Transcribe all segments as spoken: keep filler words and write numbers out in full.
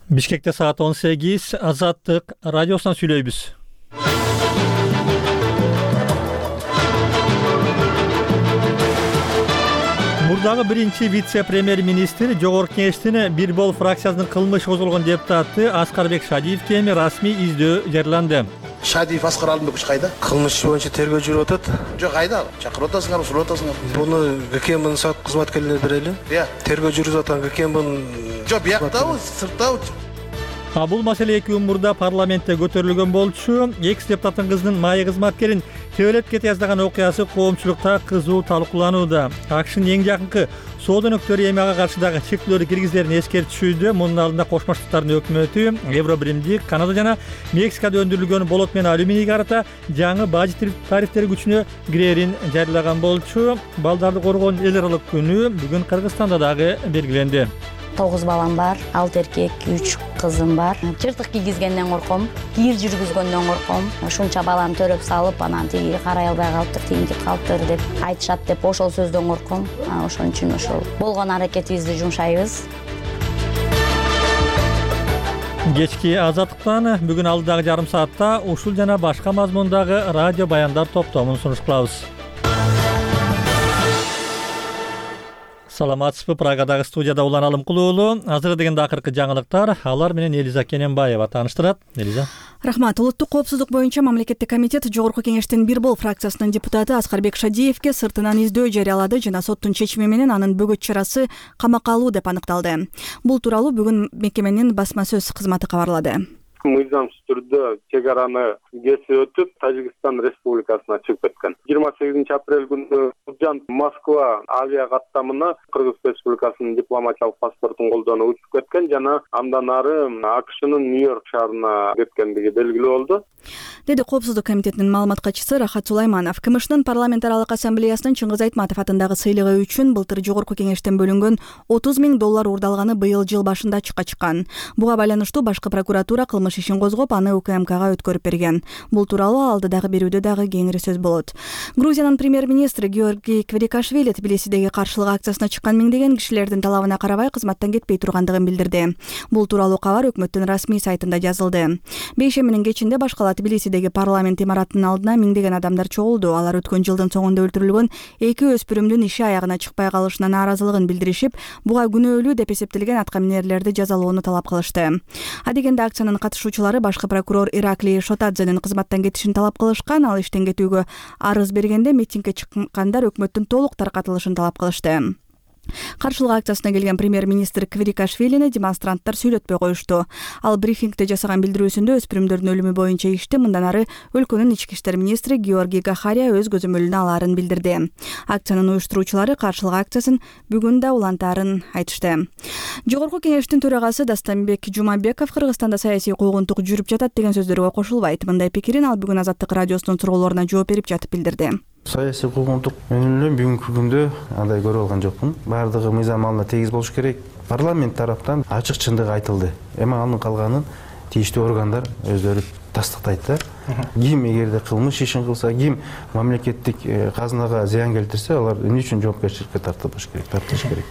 Бишкекте саат он сегиз, Азаттык радиосунан сүйлөйбүз. Мурдагы биринчи вице-премьер-министр Жогорку Кеңештин Бир Бол фракциясынын кылмыш козголгон депутаты Аскарбек Шадиевге эми расмий издөө жарыяланды. Шадиев Аскар Алымбекович кайда? Кылмыш боюнча тергөө жүрүп атат. Жок, кайда? Чакырып атасыңарбы, сурап атасыңарбы? Буну ГКМбнын сот кызматкерлери берели. Иә. Тергөө жүрүп аткан ГКМбнын. Жок, бияктабы, сырттабы? А бул маселе эки күн мурда парламентте көтөрүлгөн болчу. Экс депутаттын кызынын майы кызматкерин тебелеп кете жаздаган окуясы коомчулукта кызуу талкууланууда. АКШнын эң жакынкы соода өнөктөрү эми ага каршы дагы чектөөлөрдү киргизерин эскертишүүдө. Мунун алдында Кошмо Штаттардын өкмөтү Евробиримдик, Канада жана Мексикада өндүрүлгөн болот менен алюминийге карата жаңы бажы тарифтери күчүнө кирерин жарыялаган болчу. Балдарды коргоонун эл аралык күнү бүгүн Кыргызстанда дагы белгиленди. Тогуз балам бар, алты эркек, үч кызым бар. Чыртык кийгизгенден корком, кийир жүргүзгөндөн корком. Ушунча баланы төрөп салып, анан тиги карай албай калыптыр, тиги калыптыр деп айтышат деп ошол сөздөн корком. Ошон үчүн ошол болгон аракетибизди жумшайбыз. Кечки Азаттыктан бүгүн алдыдагы жарым саатта ушул жана башка мазмундагы радио баяндар топтомун сунуш кылабыз. Саламатсызбы, Прагадагы студияда Улан Алымкул уулу. Азыр дегенде акыркы жаңылыктар, алар менен Элиза Кененбаева тааныштырат. Элиза. Рахмат. Улуттук коопсуздук боюнча мамлекеттик комитет Жогорку Кеңештин Бир Бол фракциясынын депутаты Аскарбек Шадиевге сыртынан издөө жарыялады жана соттун чечими менен анын бөгөт чарасы камакка алуу деп аныкталды. Бул тууралуу бүгүн мекеменин басма сөз кызматы кабарлады. Мыйзамсыз түрдө чек араны кесип өтүп, Тажикстан Республикасына чыгып кеткен. жыйырма сегизинчи апрель күнү Жан Москва авиа каттамына Кыргыз Республикасынын дипломатиялык паспортун колдонуп учуп кеткен жана андан ары АКШнын Нью-Йорк шаарына кеткендиги белгилүү болду, деди Коопсуздук комитетинин маалымат катчысы Рахат Сулайманов. КМШнын парламент аралык ассамблеясынын Чыңгыз Айтматов атындагы сыйлыгы үчүн былтыр Жогорку Кеңештен бөлүнгөн отуз миң доллар уурдалганы быйыл жыл башында ачыкка чыккан. Буга байланыштуу башкы прокуратура кылмыш ишин козгоп, аны УКМКга өткөрүп берген. Бул тууралуу алдыдагы берүүдө дагы кеңири сөз болот. Грузиянын премьер-министри Георгий Кварикашвили Тбилисидеги каршылык акциясына чыккан миңдеген кишилердин талабына карабай кызматтан кетпей тургандыгын билдирди. Бул тууралуу кабар өкмөттүн расмий сайтында жазылды. Бейшембинин кечинде башкала Тбилисидеги парламент имаратынын алдына миңдеген адамдар чогулду. Алар өткөн жылдын соңунда өлтүрүлгөн эки өспүрүмдүн иши аягына чыкпай калышына нааразылыгын билдиришип, буга күнөөлүү деп эсептелген аткаминерлерди жазалоону талап кылышты. Адегенде акциянын катышуучулары башкы прокурор Ираклий Шотадзенин кызматтан кетишин талап кылышкан. Ал иштен кетүүгө арыз бергенде митингге чыккандар өкмөттүн толук таркатылышын талап кылышты. Каршылык акциясына келген премьер-министр Кварикашвилини демонстранттар сүйлөтпөй коюшту. Ал брифингде жасаган билдирүүсүндө өспүрүмдөрдүн өлүмү боюнча ишти мындан ары өлкөнүн ички иштер министри Георгий Гахария өз көзөмөлүнө алаарын билдирди. Акциянын уюштуруучулары каршылык акциясын бүгүн да улантаарын айтышты. Жогорку Кеңештин төрагасы Дастанбек Жумабеков Кыргызстанда саясий куугунтук жүрүп жатат деген сөздөргө кошулбайт. Мындай пикирин ал бүгүн Азаттык радиосунун суроолоруна жооп берип жатып билдирди. Саясий куугунтук менен эле бүгүнкү күндө андай көрүп алган жокмун. Бардыгы мыйзам алдында тегиз болуш керек. Парламент тараптан ачык чындык айтылды. Эми анын калганын тийиштүү органдар өздөрү тастыктайт да. Ким эгерде кылмыш ишин кылса, ким мамлекеттик казынага зыян келтирсе, алар эмне үчүн жоопкерчиликке тартылыш керек, тартылыш керек.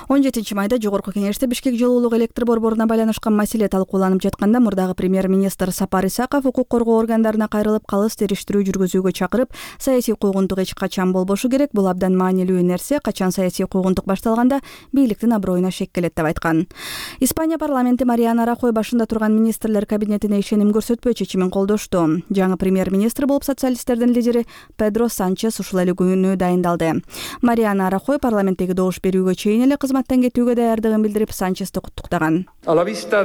он жетинчи майда Жогорку Кеңеште Бишкек жылуулук электр борборуна байланышкан маселе талкууланып жатканда мурдагы премьер-министр Сапар Исаков укук коргоо органдарына кайрылып калыс териштирүү жүргүзүүгө чакырып, саясий куугунтук эч качан болбошу керек, бул абдан маанилүү нерсе, качан саясий куугунтук башталганда бийликтин аброюна шек келет деп айткан. Испания парламенти Мариана Рахой башында турган министрлер кабинетине ишеним көрсөтпөө чечимин колдошту. Жаңы премьер-министр болуп социалисттердин лидери Педро Санчес ушул эле күнү дайындалды. Мариана Рахой парламенттеги добуш берүүгө чейин эле кызматтан кетүүгө даярдыгын билдирип Санчести куттуктаган. Баарыбызга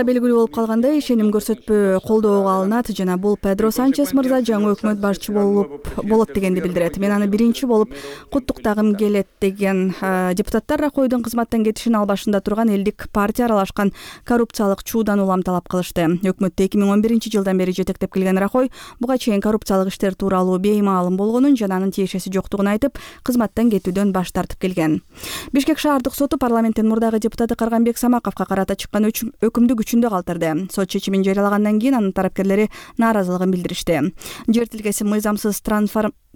белгилүү болуп калгандай, ишеним көрсөтпөө колдоого алынат жана бул Педро Санчес мырза жаңы өкмөт башчы болуп болот дегенди билдирет. Мен аны биринчи болуп куттуктагым келет деген депутаттар Рахойдун кызматтан кетишин ал башында турган элдик партия аралашкан коррупциялык чуудан улам талап кылышты. Өкмөттү эки миң он биринчи жылдан бери жетектеп келген Рахой буга чейин коррупциялык иштер тууралуу беймаалым болгонун жана анын тиешеси жоктугун айтып, кызматтан кетүүдөн баш тартып келген. билдирген. Бишкек шаардык соту парламенттин мурдагы депутаты Карганбек Самаковго карата чыккан өкүмдү күчүндө калтырды. Сот чечимин жарыялагандан кийин анын тарапкерлери нааразылыгын билдиришти. Жер тилкеси мыйзамсыз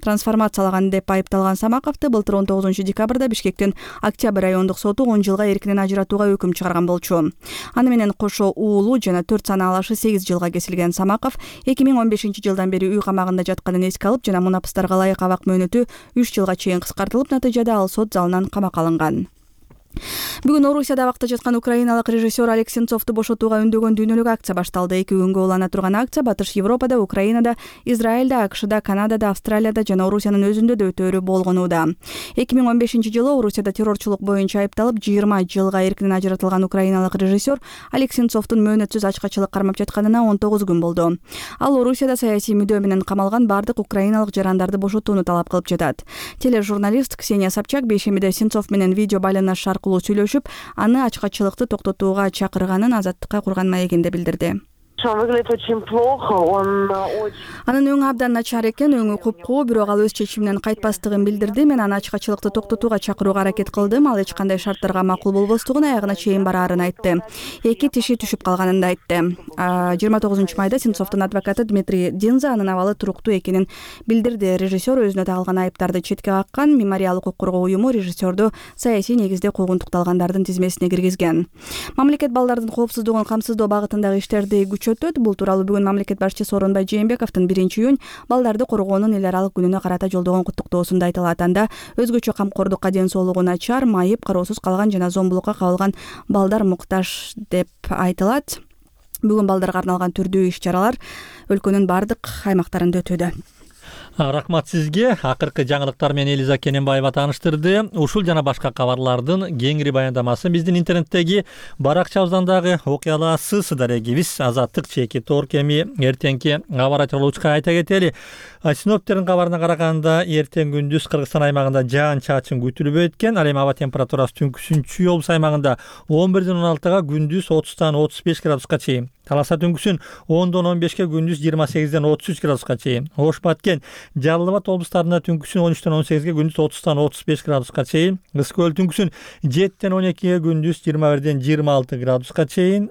трансформациялаган деп айыпталган Самаковду былтыр он тогузунчу декабрда Бишкектин Октябрь райондук соту он жылга эркинен ажыратууга өкүм чыгарган болчу. Аны менен кошо уулу жана төрт санаалашы сегиз жылга кесилген Самаков эки миң он бешинчи жылдан бери үй камагында жатканын эске алып жана мунапыстарга ылайык абак мөөнөтү үч жылга чейин кыскартылып, натыйжада ал сот залынан камакка алынган. Бүгүн Орусияда абакта жаткан украиналык режиссер Олег Сенцовду бошотууга үндөгөн дүйнөлүк акция башталды. Эки күнгө улана турган акция Батыш Европада, Украинада, Израилда, АКШда, Канадада, Австралияда жана Орусиянын өзүндө да өтөөрү болгонууда. эки миң он бешинчи жылы Орусияда террорчулук боюнча айыпталып жыйырма жылга эркинен ажыратылган украиналык режиссер Олег Сенцовдун мөөнөтсүз ачкачылык кармап жатканына он тогуз күн болду. Ал Орусияда саясий мүдөө менен камалган бардык украиналык жарандарды бошотууну талап кылып жатат. Тележурналист Ксения Собчак бейшембиде Сенцов менен видео байланыш аркылуу сүйлөшүп, аны ачкачылыкты токтотууга чакырганын Азаттыкка курган маегинде билдирди. Он выглядит очень плохо, он очень... Анын өңү абдан начар экен, өңү куп-куу, бирок ал өз чечиминен кайтпастыгын билдирди. Мен аны ачкачылыкты токтотууга чакырууга аракет кылдым. Ал эч кандай шарттарга макул болбостугун, аягына чейин бараарын айтты. Эки тиши түшүп калганын да айтты. жыйырма тогузунчу майда Сенцовдун адвокаты Дмитрий Динза анын абалы туруктуу экенин билдирди. Режиссер өзүнө тагылган айыптарды четке каккан. Мемориал укук коргоо уюму режиссерду саясий негизде куугунтукталгандардын тизмесине киргизген. Мамлекет балдардын коопсуздугун камсыздоо багытындагы иштерди күчөтөт. Бул тууралуу бүгүн мамлекет башчысы Сооронбай Жээнбековдун биринчи июнь балдарды коргоонун эл аралык күнүнө карата жолдогон куттуктоосунда айтылат. Анда өзгөчө камкордукка, ден соолугу начар, майып, кароосуз калган жана зомбулукка кабылган балдар муктаж деп айтылат. Бүгүн балдарга арналган түрдүү иш-чаралар өлкөнүн бардык аймактарында өтүүдө. Рахмат сизге. Акыркы жаңылыктар менен Элиза Кененбаева тааныштырды. Ушул жана башка кабарлардын кеңири баяндамасын биздин интернеттеги баракчабыздан дагы окуй аласыз. Дарегибиз Азаттык чеки Торк. Эми эртеңки аба айтылуучка айта кетели. Синоптиктердин кабарына караганда эртең күндүз Кыргызстан аймагында жаан-чачын күтүлбөйт экен. Ал эми аба температурасы түнкүсүн облус аймагында он бирден он алтыга, күндүз отуздан отуз беш градуска чейин. Таласа түнкүсүн ондон он бешке, күндүз жыйырма сегизден отуз үч градуска чейин. Ош Баткен, Жалал Абад облустарында түнкүсүн он үчтөн он сегизге, күндүз отуздан отуз беш градуска чейин. Кыз Көл түнкүсүн жетиден он экиге, күндүз жыйырма бирден жыйырма алты градуска чейин.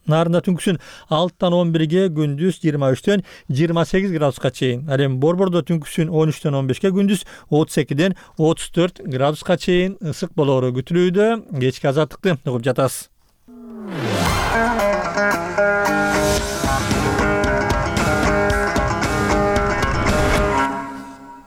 Нарында түнкүсүн алтыдан он бирге, күндүз жыйырма үчтөн жыйырма сегиз градуска чейин. Ал эми Борбордо түнкүсүн он үчтөн он бешке, күндүз отуз экиден отуз төрт градуска чейин ысык болоору күтүлүүдө. Кечки Азаттыкты угуп жатасыз.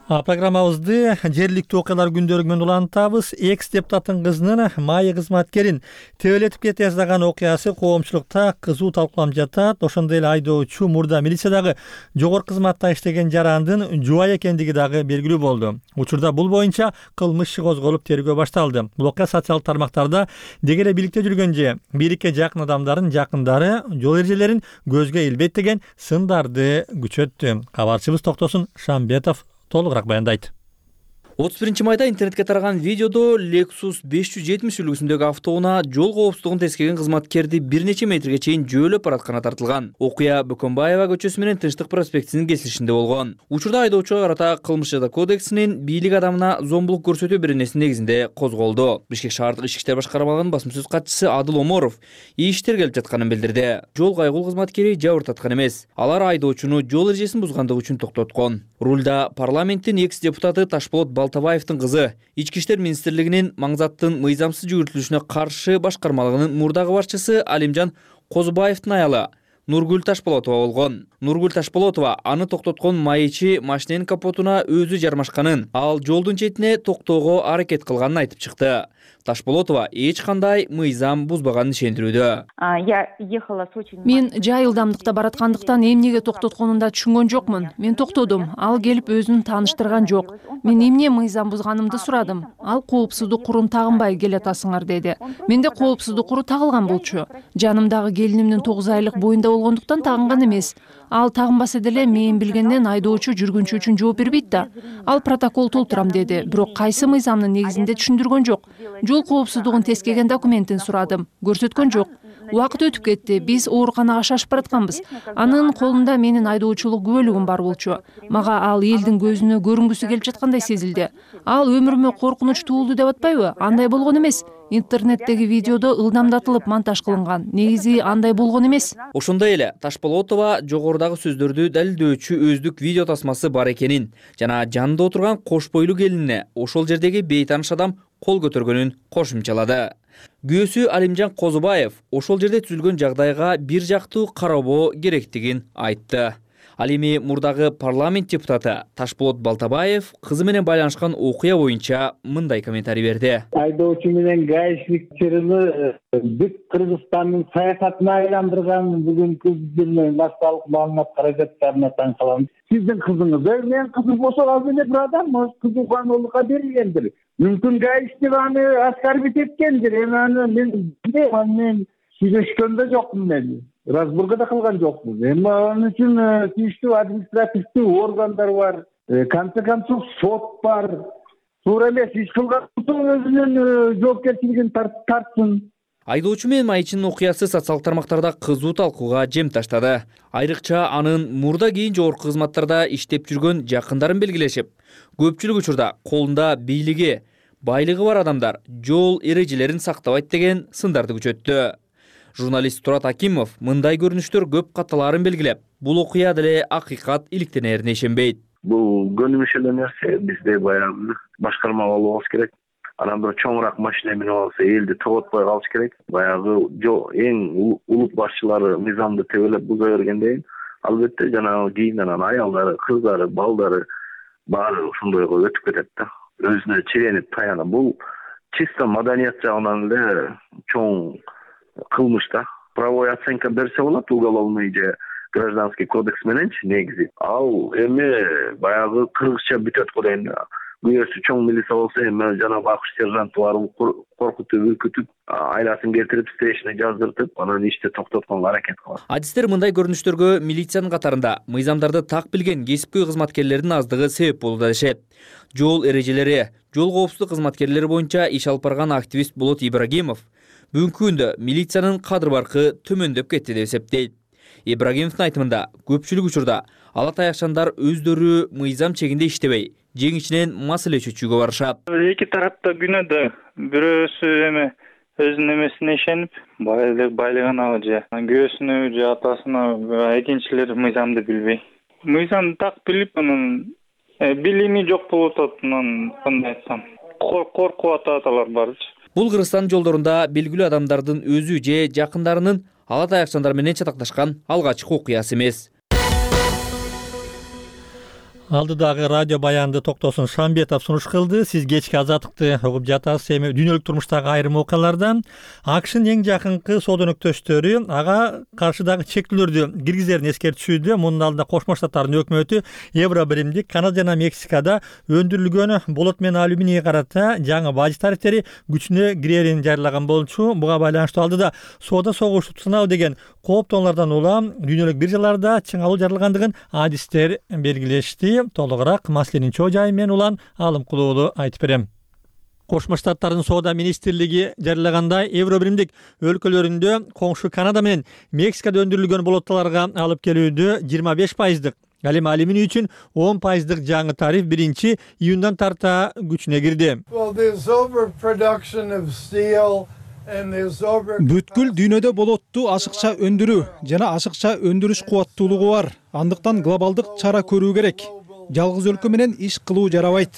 Программабызды жергиликтүү окуялар күндөрү менен улантабыз. Экс депутаттын кызынын майы кызматкерин тебелетип кете жаздаган окуясы коомчулукта кызуу талкууланып жатат. Ошондой эле айдоочу мурда милициядагы жогорку кызматта иштеген жарандын жубайы экендиги дагы белгилүү болду. Учурда бул боюнча кылмыш иши козголуп тергөө башталды. Бул окуя социалдык тармактарда деги эле бийликте жүргөн же бийликке жакын адамдардын жакындары жол эрежелерин көзгө илбейт деген сындарды күчөттү. Кабарчыбыз Токтосун Шамбетов толугураак баяндайт. отуз биринчи майда интернетке тараган видеодо Lexus беш жүз жетимиш үлгүсүндөгү автоунаа жол коопсуздугун тескерген кызматкерди бир нече метрге чейин жөөлөп баратканы тартылган. Окуя Бөкөнбаева көчөсү менен Тынчтык проспектисинин кесилишинде болгон. Учурда айдоочуга карата кылмыш жаза кодексинин бийлик адамына зомбулук көрсөтүү беренеси негизинде козголду. Бишкек шаардык ички иштер башкармалыгынын басма сөз катчысы Адыл Оморов иштер келип жатканын билдирди. Жол кайгул кызматкери жабыр таткан эмес. Алар айдоочуну жол эрежесин бузгандыгы үчүн токтоткон. Рулда парламенттин экс депутаты Ташполот Балтабаевдин кызы, Ички иштер министрлигинин маңзаттын мыйзамсыз жүгүртүлүшүнө каршы башкармалыгынын мурдагы башчысы Алимжан Козубаевдин аялы Нургүл Ташполотова болгон. Нургүл Ташполотова аны токтоткон майычы машиненин капотуна өзү жармашканын, ал жолдун четине токтоого аракет кылганын айтып чыкты. Ташполотова эч кандай мыйзам бузбаганын ишендирүүдө. Мен жай ылдамдыкта бараткандыктан эмнеге токтотконун да түшүнгөн жокмун. Мен токтодум. Ал келип өзүн тааныштырган жок. Мен эмне мыйзам бузганымды сурадым. Ал коопсуздук курун тагынбай келатасыңар деди. Менде коопсуздук куру тагылган болчу. Жанымдагы келинимдин тогуз айлык боюнда болгондуктан тагынган эмес. Ал тагынбаса деле мен билгенден айдоочу жүргүнчү үчүн жооп бербейт да. Ал протокол толтурам деди. Бирок кайсы мыйзамдын негизинде түшүндүргөн жок. Жол коопсуздугун тескеген документин сурадым. Көрсөткөн жок. Убакыт өтүп кетти. Биз ооруканага шашып баратканбыз. Анын колунда менин айдоочулук күбөлүгүм бар болчу. Мага ал элдин көзүнө көрүнгүсү келип жаткандай сезилди. Ал өмүрүмө коркунуч туулду деп атпайбы? Андай болгон эмес. Интернеттеги видеодо ылдамдатылып монтаж кылынган. Негизи андай болгон эмес. Ошондой эле Ташполотова жогорудагы сөздөрдү далилдөөчү өздүк видео тасмасы бар экенин жана жанында отурган кош бойлуу келинине ошол жердеги бейтааныш адам кол көтөргөнүн кошумчалады. Күйөөсү Алимжан Козубаев ошол жерде түзүлгөн жагдайга бир жактуу карабоо керектигин айтты. Ал эми мурдагы парламент депутаты Ташполот Балтабаев кызы менен байланышкан окуя боюнча мындай комментарий берди. Айдоочу менен гаишник чырыны бүт Кыргызстандын саясатына айландырган бүгүнкү биздин башталык маалымат каражаттарына таң калам. Сиздин кызыңыз, менин кызым ошол эле бир адам, кызыкануулукка берилгендир. Мүмкүн гаишник аны оскорбить эткендир. Эми аны мен мен сүйлөшкөн да жокмун мен. Разборго да кылган жокпуз. Эми анын үчүн тийиштүү административдүү органдар бар. Конце концов сот бар. Туура эмес иш кылган өзүнүн жоопкерчилигин тартсын. Айдоочу менен майчынын окуясы социалдык тармактарда кызуу талкууга жем таштады. Айрыкча анын мурда кийин жогорку кызматтарда иштеп жүргөн жакындарын белгилешип, көпчүлүк учурда колунда бийлиги, байлыгы бар адамдар жол эрежелерин сактабайт деген сындарды күчөттү. Журналист Турат Акимов мындай көрүнүштөр көп катталарын белгилеп, бул окуя деле акыйкат иликтенерине ишенбейт. Бул көнүмүш эле нерсе, бизде баягы башкарма болбош керек. Анан бир чоңураак машина менеп алса элди тоготпой калыш керек. Баягы эң улут башчылары мыйзамды тебелеп буза бергенден кийин албетте жанагы кийин анан аялдары, кыздары, балдары баары ошондойго өтүп кетет да. Өзүнө чиренип таянып. Бул чисто маданият жагынан эле чоң кылмыш да. Правовой оценка берсе болот, уголовный же гражданский кодекс мененчи негизи. Ал эми баягы кыргызча бүтөт го дейм да. Күйөөсү чоң милиция болсо эми жанагы акш сержанты барып коркутуп, үркүтүп, айласын кетирип, стейшне жаздыртып, анан ишти токтотконго аракет кылат. Адистер мындай көрүнүштөргө милициянын катарында мыйзамдарды так билген кесипкөй кызматкерлердин аздыгы себеп болууда дешет. Жол эрежелери, жол коопсуздук кызматкерлери боюнча иш алып барган активист Болот Ибрагимов бүгүнкү күндө милициянын кадыр баркы төмөндөп кетти деп эсептейт. Ибрагимовдун айтымында көпчүлүк учурда ала таякчандар өздөрү мыйзам чегинде иштебей, жең ичинен маселе чечүүгө барышат. Эки тарапта күнөөдө, бирөөсү эми өзүнүн эмесине ишенип, байлыгына же күйөөсүнө же атасына, экинчилер мыйзамды билбей. Мыйзамды так билип, анан билими жок болуп атат, анан кандай айтсам, коркуп атат алар барчы. Бул Кыргызстан жолдорунда белгилүү адамдардын өзү же жакындарынын ала таякчандар менен чатакташкан алгачкы окуясы эмес. Алдыдагы радио баянды Токтосун Шамбетов сунуш кылды. Сиз кечки азаттыкты угуп жатасыз. Эми дүйнөлүк турмуштагы айрым окуялардан АКШнын эң жакынкы соодонөктөштөрү ага каршыдагы чектөөлөрдү киргизерин эскертишүүдө. Мунун алдында Кошмо Штаттардын өкмөтү Евро биримдик Канада жана Мексикада өндүрүлгөн болот менен алюминийге карата жаңы бажы тарифтери күчүнө кирерин жарыялаган болчу. Буга байланыштуу алдыда соода согушу сынабы деген кооптоолордон улам дүйнөлүк биржаларда чыңалуу жаралгандыгын адистер белгилешти. Толугураак маселенин чоо жайы мен улан Алым Кулуулу айтып берем. Кошмо Штаттардын соода министрлиги жарыялагандай Евро биримдик өлкөлөрүндө коңшу Канада менен Мексикада өндүрүлгөн болоттолорго алып келүүдө жыйырма беш пайыздык, ал эми алюминий үчүн он пайыздык жаңы тариф биринчи июндан тарта күчүнө кирди. Бүткүл дүйнөдө болотту ашыкча өндүрүү жана ашыкча өндүрүш кубаттуулугу бар. Андыктан глобалдык чара көрүү керек. Жалгыз өлкө менен иш кылуу жарабайт.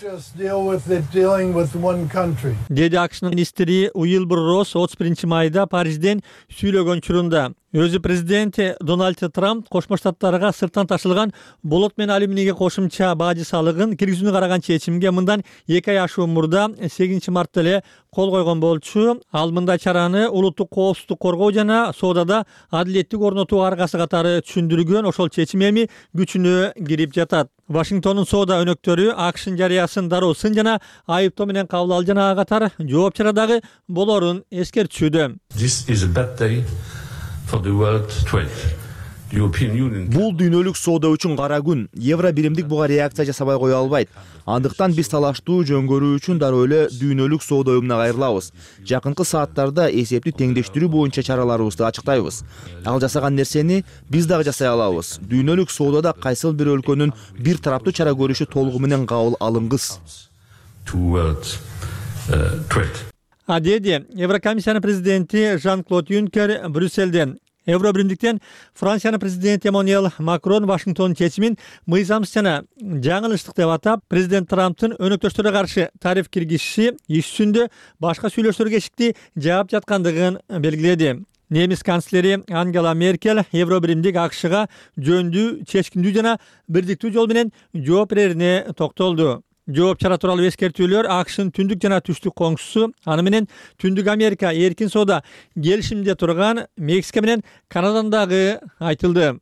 Деди АКШнын министри Уилбур Росс отуз биринчи майда Парижден сүйлөгөн учурунда. Өзү президенти Дональд Трамп Кошмо Штаттарга сырттан ташылган болот менен алюминийге кошумча бажы салыгын киргизүүнү караган чечимге мындан эки ай ашуун мурда сегизинчи мартта эле кол койгон болчу. Ал мындай чараны улуттук коопсуздук коргоо жана соодада адилеттик орнотуу аргасы катары түшүндүргөн. Ошол чечим эми күчүнө кирип жатат. Вашингтондун соода өнөктөрү АКШнын жарыясын дароо сын жана айыптоо менен кабыл ал жана ага катар жооп чара дагы болорун эскертишүүдө. For the world trade. Бул дүйнөлүк соода үчүн кара күн. Евро биримдик буга реакция жасабай кое албайт. Андыктан биз талаштуу жөн көрүү үчүн дароо эле дүйнөлүк соода уюмуна кайрылабыз. Жакынкы сааттарда эсепти теңдештирүү боюнча чараларыбызды ачыктайбыз. Ал жасаган нерсени биз дагы жасай алабыз. Дүйнөлүк соодада кайсыл бир өлкөнүн бир тараптуу чара көрүшү толугу менен кабыл алынгыс. А деди Еврокомиссиянын президенти Жан-Клод Юнкер Брюссельден. Евро биримдиктен Франциянын президенти Эммануэль Макрон Вашингтондун чечимин мыйзамсыз жана жаңылыштык деп атап, президент Трамптын өнөктөштөргө каршы тариф киргизиши иш жүзүндө башка сүйлөшүүлөргө эшикти жаап жаткандыгын белгиледи. Немис канцлери Ангела Меркель Евро биримдик АКШга жөндүү, чечкиндүү жана бирдиктүү жол менен жооп берерине токтолду. Жооп чара тууралуу эскертүүлөр АКШнын түндүк жана түштүк коңшусу, аны менен Түндүк Америка эркин соода келишимде турган Мексика менен Канададан дагы айтылды.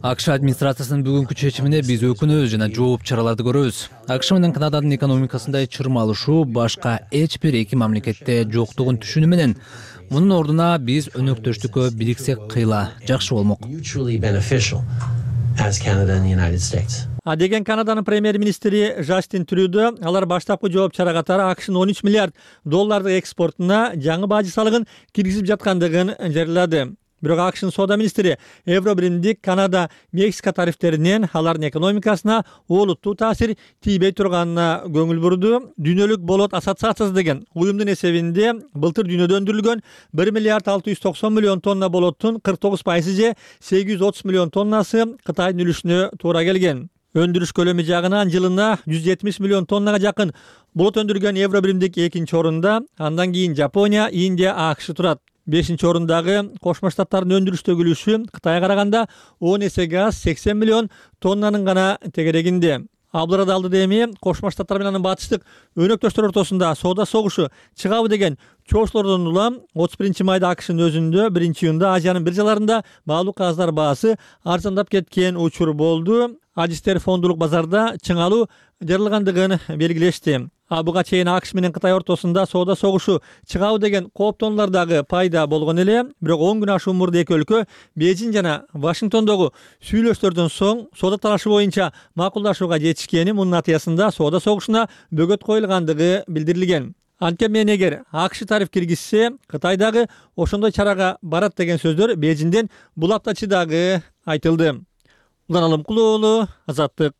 АКШ администрациясынын бүгүнкү чечимине биз өкүнөбүз жана жооп чараларды көрөбүз. АКШ менен Канаданын экономикасында чырмалышуу башка эч бир эки мамлекетте жоктугун түшүнүү менен мунун ордуна биз өнөктөштүккө бириксек кыйла жакшы болмок. As Canada and the United States. А деген Канаданын премьер-министри Жастин Трюдо алар баштапкы жооп чара катары АКШнын он үч миллиард доллардык экспортуна жаңы бажы салыгын киргизип жаткандыгын жарыялады. Бирок АКШнын соода министри Евро биримдик Канада, Мексика тарифтеринен алардын экономикасына олуттуу таасир тийбей турганына көңүл бурду. Дүйнөлүк болот ассоциациясы деген уюмдун эсебинде былтыр дүйнөдө өндүрүлгөн бир миллиард алты жүз токсон миллион тонна болоттун кырк тогуз пайызы же сегиз жүз отуз миллион тоннасы Кытайдын үлүшүнө туура келген. Өндүрүш көлөмү жагынан жылына жүз жетимиш миллион тоннага жакын болот өндүргөн Евро биримдик экинчи орунда, андан кийин Жапония, Индия, АКШ турат. бешинчи орундагы Кошмо Штаттардын өндүрүштөгү үлүшү Кытайга караганда он эсеге аз сексен миллион тоннанын гана тегерегинде. Абдул Радалды эми Кошмо Штаттар менен анын батыштык өнөктөштөр ортосунда соода согушу чыгабы деген чоочулордон улам отуз биринчи майда АКШнын өзүндө биринчи июнда Азиянын биржаларында баалуу кагаздар баасы арзандап кеткен учур болду. Адистер фондулук базарда чыңалуу жарылгандыгын белгилешти. А буга чейин АКШ менен Кытай ортосунда соода согушу чыгабы деген кооптонуулар дагы пайда болгон эле. Бирок он күн ашуун мурда эки өлкө Бейжиң жана Вашингтондогу сүйлөшүүлөрдөн соң соода талашы боюнча макулдашууга жетишкени, мунун натыйжасында соода согушуна бөгөт коюлгандыгы билдирилген. Анткени эгер АКШ тариф киргизсе, Кытай дагы ошондой чарага барат деген сөздөр Бейжиңден бул аптачы дагы айтылды. Улан Алымкулуу уулу, Азаттык.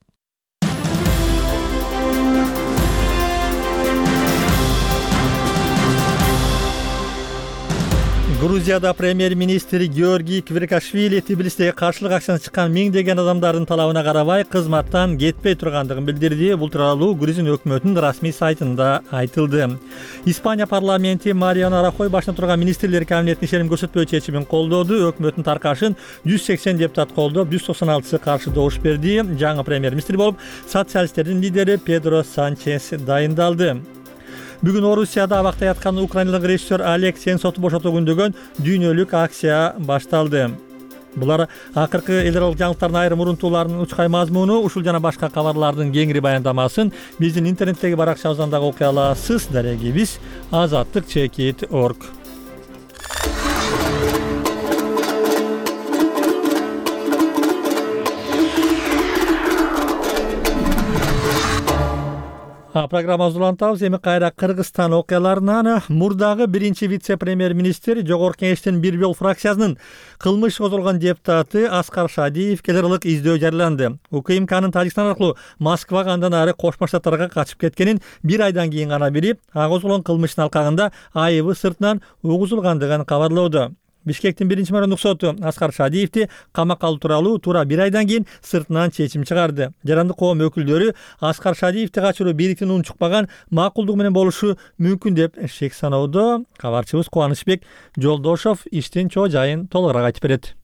Грузияда премьер-министр Георгий Квиркашвили Тбилисиде каршылык акциясына чыккан миңдеген адамдардын талабына карабай кызматтан кетпей тургандыгын билдирди. Бул тууралуу Грузия өкмөтүнүн расмий сайтында айтылды. Испания парламенти Мариано Рахой башында турган министрлер кабинетинин ишеним көрсөтпөө чечимин колдоду. Өкмөттүн таркашын жүз сексен депутат колдоп, жүз токсон алтысы каршы добуш берди. Жаңы премьер-министр болуп социалисттердин лидери Педро Санчес дайындалды. Бүгүн Орусияда абакта яткан украиналык режиссер Олег Сенцовду бошотуу күндөгөн дүйнөлүк акция башталды. Булар акыркы эл аралык жаңылыктардын айрым урунтууларынын учкай мазмуну, ушул жана башка кабарлардын кеңири баяндамасын биздин интернеттеги баракчабыздан дагы окуй аласыз. Дарегибиз азаттык чекит точка орг. Программабызды улантабыз. Эми кайра Кыргызстан окуяларынан. Мурдагы биринчи вице-премьер-министр Жогорку Кеңештин Бир жол фракциясынын кылмыш козголгон депутаты Аскар Шадиев эл аралык издөө жарыяланды. УКМКнын Тажикстан аркылуу Москвага андан ары Кошмо Штаттарга качып кеткенин бир айдан кийин гана билип, ага козголгон кылмыштын алкагында айыбы сыртынан угузулгандыгын кабарлоодо. Бишкектин биринчи мэрдик соту Аскар Шадиевди камакка алуу тууралуу туура бир айдан кийин сыртынан чечим чыгарды. Жарандык коом өкүлдөрү Аскар Шадиевди качыруу бийликтин унчукпаган макулдугу менен болушу мүмкүн деп шек саноодо. Кабарчыбыз Кубанычбек Жолдошов иштин чоо жайын толугураак айтып берет.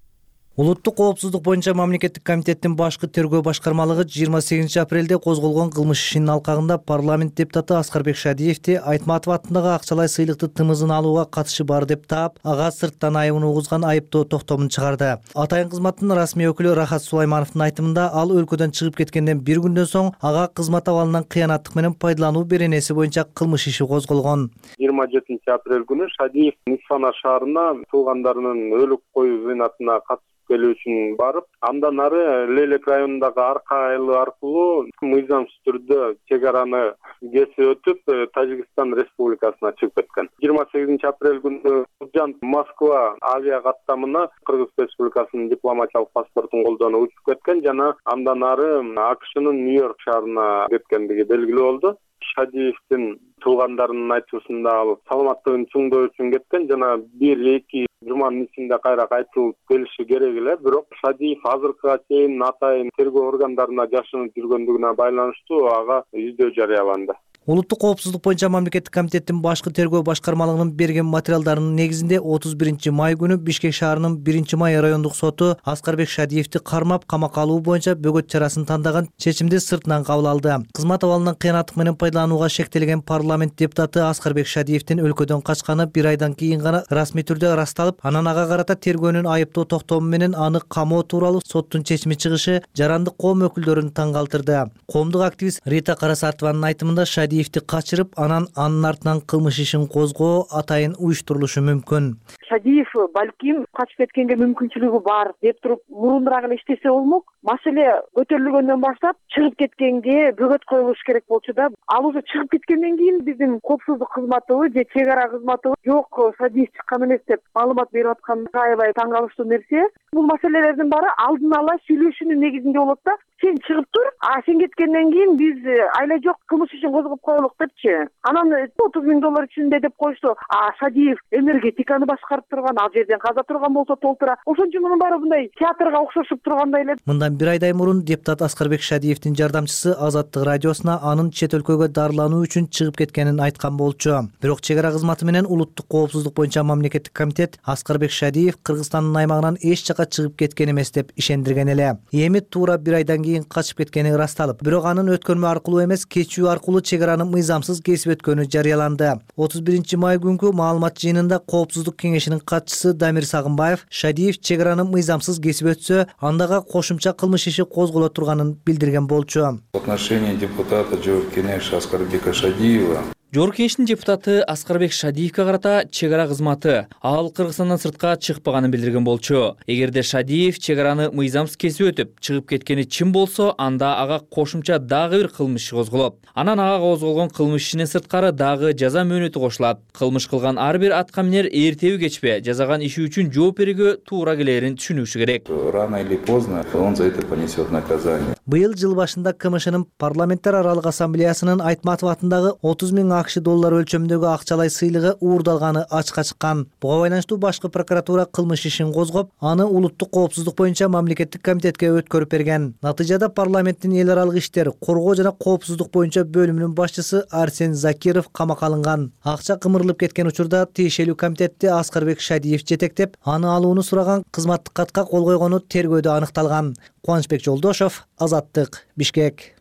Улуттук коопсуздук боюнча мамлекеттик комитеттин башкы тергөө башкармалыгы жыйырма сегизинчи апрелде козголгон кылмыш ишинин алкагында парламент депутаты Аскарбек Шадиевди Айтматов атындагы акчалай сыйлыкты тымызын алууга катышы бар деп таап, ага сырттан айыбын угузган айыптоо токтомун чыгарды. Атайын кызматтын расмий өкүлү Рахат Сулаймановдун айтымында, ал өлкөдөн чыгып кеткенден бир күндөн соң ага кызмат абалынан кыянаттык менен пайдалануу беренеси боюнча кылмыш иши козголгон. жыйырма жетинчи апрель күнү Шадиев Нисфана шаарына туугандарынын өлүк коюу зыйнатына катышып келүү үчүн барып, андан ары Лелек районундагы Арка айылы аркылуу мыйзамсыз түрдө чек араны кесип өтүп, Тажикстан Республикасына чыгып кеткен. жыйырма сегизинчи апрель күнү Курджан Москва авиа каттамына Кыргыз Республикасынын дипломатиялык паспортун колдонуп учуп кеткен жана андан ары АКШнын Нью-Йорк шаарына кеткендиги белгилүү болду. Шадиевдин туугандарынын айтуусунда ал саламаттыгын чыңдоо үчүн кеткен жана бир эки жуманын ичинде кайра кайтылып келиши керек эле, бирок Шадиев азыркыга чейин атайын тергөө органдарына жашынып жүргөндүгүнө байланыштуу ага издөө жарыяланды. Улуттук коопсуздук боюнча мамлекеттик комитеттин башкы тергөө башкармалыгынын берген материалдарынын негизинде отуз биринчи май күнү Бишкек шаарынын биринчи май райондук соту Аскарбек Шадиевди кармап камакка алуу боюнча бөгөт чарасын тандаган чечимди сыртынан кабыл алды. Кызмат абалынан кыянаттык менен пайдаланууга шектелген парламент депутаты Аскарбек Шадиевдин өлкөдөн качканы бир айдан кийин гана расмий түрдө ырасталып, анан ага карата тергөөнүн айыптоо токтому менен аны камоо тууралуу соттун чечими чыгышы жарандык коом өкүлдөрүн таң калтырды. Коомдук активист Рита Карасартованын айтымында Шадиевди качырып, анан анын артынан кылмыш ишин козгоо атайын уюштурулушу мүмкүн. Шадиев балким качып кеткенге мүмкүнчүлүгү бар деп туруп мурунураак эле иштесе болмок. Маселе көтөрүлгөндөн баштап чыгып кеткенге бөгөт коюлуш керек болчу да. Ал уже чыгып кеткенден кийин биздин коопсуздук кызматыбы же чек ара кызматыбы жок, Шадиев чыккан эмес деп маалымат берип аткан аябай таң калыштуу нерсе. Бул маселелердин баары алдын ала сүйлөшүүнүн негизинде болот да. Сен чыгып тур, а сен кеткенден кийин биз айла жок кылмыш ишин козгоп коелук депчи. Анан отуз миң доллар ичинде деп коюшту. А Шадиев энергетиканы башкарып турган, ал жерден каза турган болсо толтура. Ошончо мунун баары мындай театрга окшошуп тургандай эле. Мындан бир айдай мурун депутат Аскарбек Шадиевдин жардамчысы Азаттык радиосуна анын чет өлкөгө дарылануу үчүн чыгып кеткенин айткан болчу. Бирок чек ара кызматы менен улуттук коопсуздук боюнча мамлекеттик комитет Аскарбек Шадиев Кыргызстандын аймагынан эч жака чыгып кеткен эмес деп ишендирген эле. Эми туура бир айдан кийин качып кеткени ырасталып, бирок анын өткөрмө аркылуу эмес, кечүү аркылуу чек араны мыйзамсыз кесип өткөнү жарыяланды. отуз биринчи май күнкү маалымат жыйынында Коопсуздук кеңешинин катчысы Дамир Сагынбаев Шадиев чек араны мыйзамсыз кесип өтсө, андага кошумча кылмыш иши козголо турганын билдирген болчу. В отношении депутата Жогорку Кеңеш Аскарбека Шадиева Жогорку Кеңештин депутаты Аскарбек Шадиевге карата чек ара кызматы ал Кыргызстандан сыртка чыкпаганын билдирген болчу. Эгерде Шадиев чек араны мыйзамсыз кесип өтүп, чыгып кеткени чын болсо, анда ага кошумча дагы бир кылмыш козголот. Анан ага козголгон кылмыш ишинен сырткары дагы жаза мөөнөтү кошулат. Кылмыш кылган ар бир атка минер эртеби кечпе жазаган иши үчүн жооп берүүгө туура келерин түшүнүшү керек. Рано или поздно он за это понесет наказание. Быйыл жыл башында КМШнын парламенттер аралык ассамблеясынын Айтматов атындагы отуз миң акш доллар өлчөмүндөгү акчалай сыйлыгы уурдалганы ачыкка чыккан. Буга байланыштуу башкы прокуратура кылмыш ишин козгоп, аны улуттук коопсуздук боюнча мамлекеттик комитетке өткөрүп берген. Натыйжада парламенттин эл аралык иштер, коргоо жана коопсуздук боюнча бөлүмүнүн башчысы Арсен Закиров камакка алынган. Акча кымырылып кеткен учурда тиешелүү комитетти Аскарбек Шадиев жетектеп, аны алууну сураган кызматтык катка кол койгону тергөөдө аныкталган. Кубанычбек Жолдошов, Азаттык, Бишкек.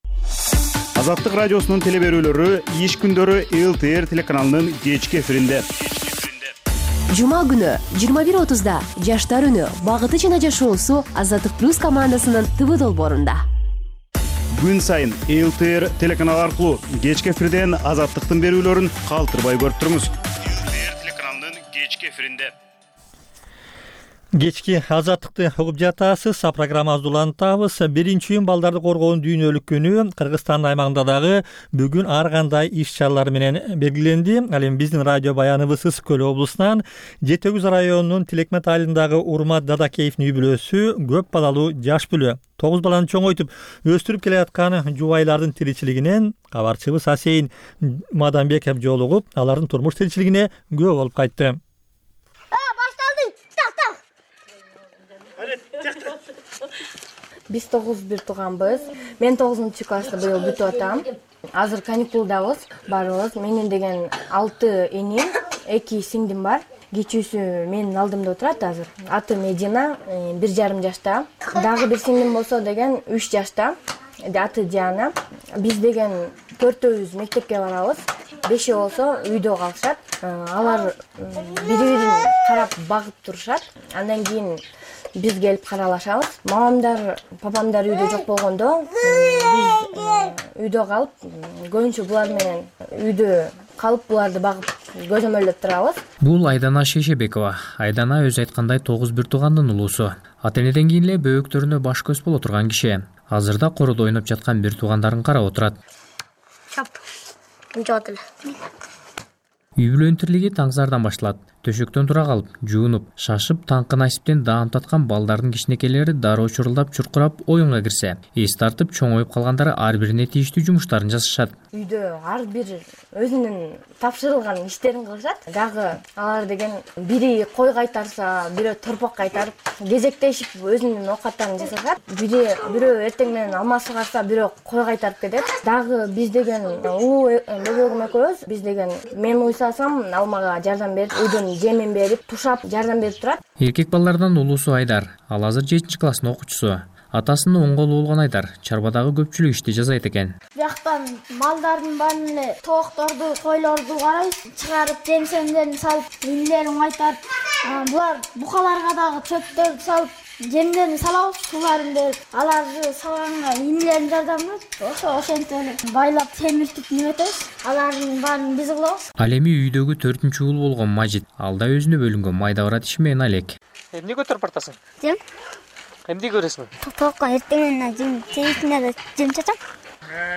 Азаттык радиосунун телеберүүлөрү иш күндөрү ЛТР телеканалынын кечки эфиринде. Жума күнү жыйырма бир отузда Жаштар үнү багыты жана жашоосу Азаттык плюс командасынын ТВ долбоорунда. Күн сайын ЛТР телеканалы аркылуу кечки эфирден Азаттыктын берүүлөрүн калтырбай көрүп туруңуз. ЛТР телеканалынын кечки эфиринде. Кечки Азаттыкты угуп жатасыз. Программабызды улантабыз. Биринчи июнь балдарды коргоонун дүйнөлүк күнү Кыргызстандын аймагында дагы бүгүн ар кандай иш-чаралар менен белгиленди. Ал эми биздин радио баяныбыз Ысык Көл облусунан Жети Өгүз районунун Тилекмет айылындагы Урмат Дадакеевдин үй бүлөсү көп балалуу жаш бүлө. Тогуз баланы чоңойтуп өстүрүп келе аткан жубайлардын тиричилигинен кабарчыбыз Асейин Маданбеков жолугуп, алардын турмуш тиричилигине күбө болуп кайтты. Биз тогуз бир тууганбыз. Мен тогузунчу класста быйыл бүтүп атам. Азыр каникулдабыз, барыбыз. Менин деген алты энем, эки сиңдим бар. кичүүсү менин алдымда отурат азыр. Аты Медина, бир жарым жашта. Дагы бир сиңдим болсо деген үч жашта. Аты Диана. Биз деген төртөөбүз мектепке барабыз. Бешөө болсо үйдө калышат. Алар бири-бирин карап багып турушат. Андан кийин биз келип каралашабыз. Мамамдар, папамдар үйдө жок болгондо биз үйдө калып, көбүнчө булар менен үйдө калып буларды багып көзөмөлдөп турабыз. Бул Айдана Шешебекова. Айдана өзү айткандай тогуз бир туугандын улуусу. Ата энеден кийин эле бөөктөрүнө баш көз боло турган киши. Азырда короодо ойноп жаткан бир туугандарын карап отурат. Чап. Жот эле. Үй бүлөнүн тирлиги таңсаардан башталат. Төшөктөн тура калып, жуунуп, шашып, таңкы насиптен даам таткан балдардын кичинекейлери дароо чурулдап, чуркурап оюнга кирсе, эс тартып чоңоюп калгандары ар бирине тийиштүү жумуштарын жасашат. Үйдө ар бир өзүнүн тапшырылган иштерин кылышат. Дагы алар деген бири кой кайтарса, бирөө торпок кайтарып, кезектешип өзүнүн оокаттарын жасашат. Бири бирөө эртең менен алма сугарса, бирөө кой кайтарып кетет. Дагы биз деген улуу бөбөгүм экөөбүз, биз деген мен уйсасам алмага жардам берип, үйдөн жемин берип, тушап жардам берип турат. Эркек балдардан улуусу Айдар. Ал азыр жетинчи класстын окуучусу. Атасынын оң колу болгон Айдар чарбадагы көпчүлүк ишти жасайт экен. Бияктан малдардын баарын эле тоокторду, койлорду карайбыз, чыгарып, жем-семдерин салып, үйлерин кайтарып, булар букаларга дагы чөптөрдү салып, жемдерин салабыз, сууларын берип, аларды салганга инилерин жардамдайт. Ошо ошентип эле байлап темиртип неметебиз. Алардын баарын биз кылабыз. Ал эми үйдөгү төртүнчү уул болгон Мажит. Ал да өзүнө бөлүнгөн майда барат иши менен алек. Эмне көтөрүп бартасың? Жем. Эмне көрөсүң? Тоокко эртеңнен жем, чейитине да жем чачам.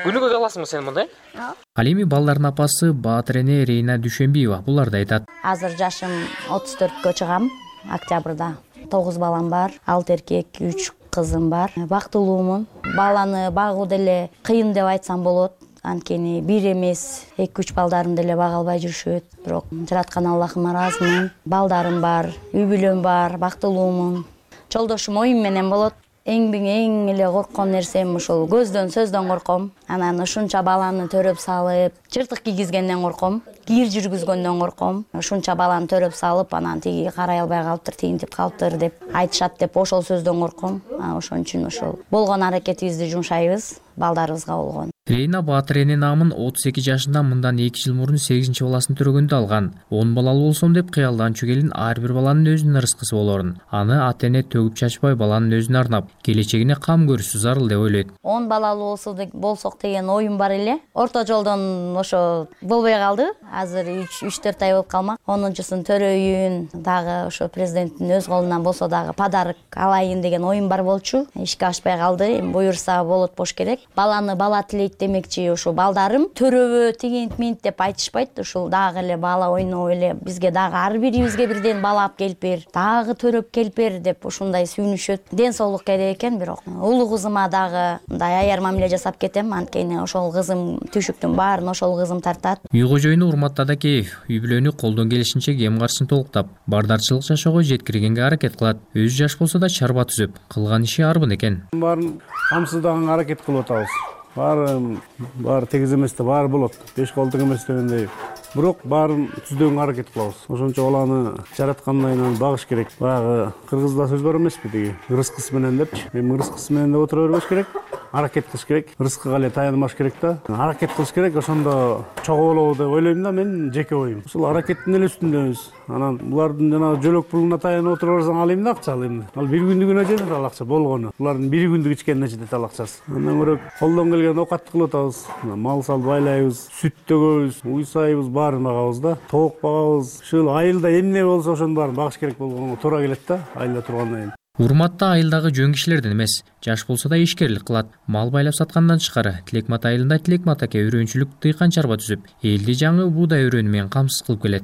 Күнүгө каласыңбы сен мындай? Ал эми балдардын апасы Баатыр эне Рейна Дүйшөнбиева булар да айтат. Азыр жашым отуз төрткө чыгам, октябрда. тогуз балам бар, алты эркек, үч кызым бар. Бактылуумун. Баланы багуу деле кыйын деп айтсам болот. Анткени бир эмес, эки үч балдарым деле бага албай жүрүшөт. Бирок жараткан Аллахыма ыраазымын. Балдарым бар, үй бүлөм бар, бактылуумун. Жолдошум оюм менен болот. Эң эң эле корккон нерсем ушул көздөн, сөздөн корком. Анан ушунча баланы төрөп салып, чыртык кийгизгенден корком, кийир жүргүзгөндөн корком. Ушунча баланы төрөп салып, анан тиги карай албай калыптыр, тигинтип калыптыр деп айтышат деп ошол сөздөн корком. Ошон үчүн ошол болгон аракетибизди жумшайбыз балдарыбызга болгон. Рейна Баатыр эне наамын отуз эки жашында мындан эки жыл мурун сегизинчи баласын төрөгөндө алган. он балалуу болсом деп кыялданчу келин ар бир баланын өзүнүн ырыскысы болорун. Аны ата эне төгүп чачпай баланын өзүнө арнап, келечегине кам көрүшү зарыл деп ойлойт. он балалуу болсок деген оюм бар эле. Орто жолдон ошо болбой калды. Азыр үч төрт ай болуп калмак. онунчусун төрөйүн, дагы ошо президенттин өз колунан болсо дагы подарок алайын деген оюм бар болчу. Ишке ашпай калды. Эми буюрса болот болуш керек. Баланы бала тилейт демекчи, ошо балдарым төрөбө тигинт минт деп айтышпайт. Ушул дагы эле бала ойноп эле бизге дагы ар бирибизге бирден бала алып келип бер, дагы төрөп келип бер деп ушундай сүйүнүшөт. Ден соолук керек экен, бирок улуу кызыма дагы мындай аяр мамиле жасап кетем. Анткени ошол кызым түшүктүн баарын ошол кызым тартат. Үй кожоюну Урмат Тадакеев үй бүлөнү колдон келишинче кем каршысын толуктап, бардарчылык жашоого жеткиргенге аракет кылат. Өзү жаш болсо да чарба түзүп, кылган иши арбын экен. Баарын камсыздаганга аракет кылып атабыз. Баары баары тегиз эмес да баары болот. Беш колдук эмес дегендей. Бирок баарын түздөгөнгө аракет кылабыз. Ошончо баланы жараткандан багыш керек. Баягы кыргызда сөз бар эмеспи деги? Ырыскысы менен депчи. Эми ырыскысы менен да отура бербеш керек. Аракет кылыш керек. Рызкыга эле таянбаш керек да. Аракет кылыш керек. Ошондо чогуу болобу деп ойлойм да, мен жеке оюм. Ушул аракеттин эле үстүндөбүз. Анан булардын жана жөлөк пулуна таянып отура берсең ал эмне акча ал эми? Ал бир күндүгүнө жетет ал акча болгону. Булардын бир күндүк ичкенине жетет ал акчасы. Андан көрө колдон келген оокатты кылып атабыз. Мал салып байлайбыз, сүт төгөбүз, уйсайбыз, баарын багабыз да. Тоок багабыз. Ушул айылда эмне болсо ошонун баарын багыш керек болгонго туура келет да, айылда тургандан кийин. Урматта айылдагы жөн кишилерден эмес, жаш болсо да ишкерлик кылат. Мал байлап саткандан тышкары Тилекмат айылында Тилекмат аке өрөөнчүлүк дыйкан чарба түзүп, элди жаңы буудай өрөөнү менен камсыз кылып келет.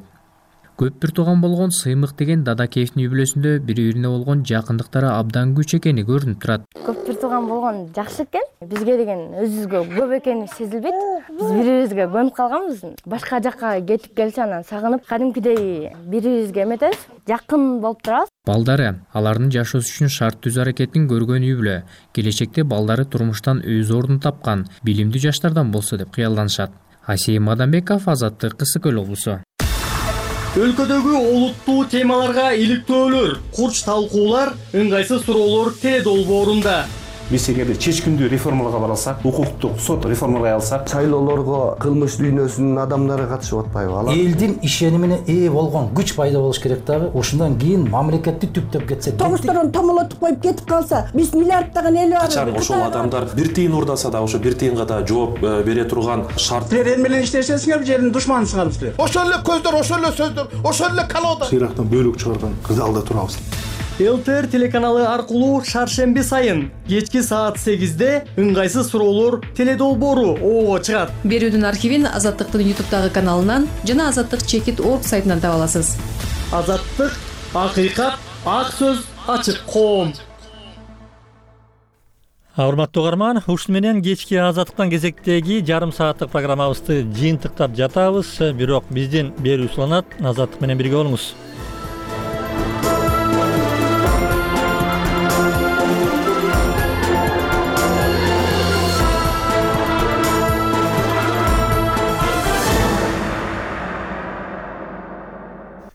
Көп бир тууган болгон Сыймык деген Дадакеевдин үй бүлөсүндө бири-бирине болгон жакындыктары абдан күч экени көрүнүп турат. Көп бир тууган болгон жакшы экен. Бизге деген өзүбүзгө көп экени сезилбейт. Биз бири-бирибизге көнүп калганбыз. Башка жакка кетип келсе анан сагынып, кадимкидей бири-бирибизге эметебиз, жакын болуп турабыз. Балдары алардын жашоосу үчүн шарт түзүү аракетин көргөн үй бүлө келечекте балдары турмуштан өз ордун тапкан билимдүү жаштардан болсо деп кыялданышат. Асей Мадамбеков, Азаттык, Кысык Көл облусу. Өлкөдөгү олуттуу темаларга иликтөөлөр, курч талкуулар, ыңгайсыз суроолор теле долбоорунда. Биз эгерде чечкиндүү реформаларга бара алсак, укуктук сот реформаларга алсак, шайлоолорго кылмыш дүйнөсүнүн адамдары катышып атпайбы? Алар элдин ишенимине ээ болгон күч пайда болуш керек дагы. Ошондон кийин мамлекетти түптөп кетсе, тогузторон томолотуп коюп кетип калса, биз миллиарддаган эл бар. Качан ошол адамдар бир тыйын урдаса да, ошо бир тыйынга да жооп бере турган шарт. Силер эл менен иштесеңер, жердин душманысыңар силер. Ошол эле көздөр, ошол эле сөздөр, ошол эле колода. Сыйрактан бөлүк чыгарган кырдаалда турабыз. эл тэ эр телеканалы аркылуу шаршемби сайын кечки саат сегизде ыңгайсыз суроолор теле долбоору ого чыгат. Берүүнүн архивин Азаттыктын ютубтагы каналынан жана Азаттык чекит точка орг сайтынан таба аласыз. Азаттык, акыйкат, ак сөз, ачык коом. Урматтуу угарман, ушун менен кечки Азаттыктан кезектеги жарым сааттык программабызды жыйынтыктап жатабыз. Бирок биздин берүү уланат. Азаттык менен бирге болуңуз.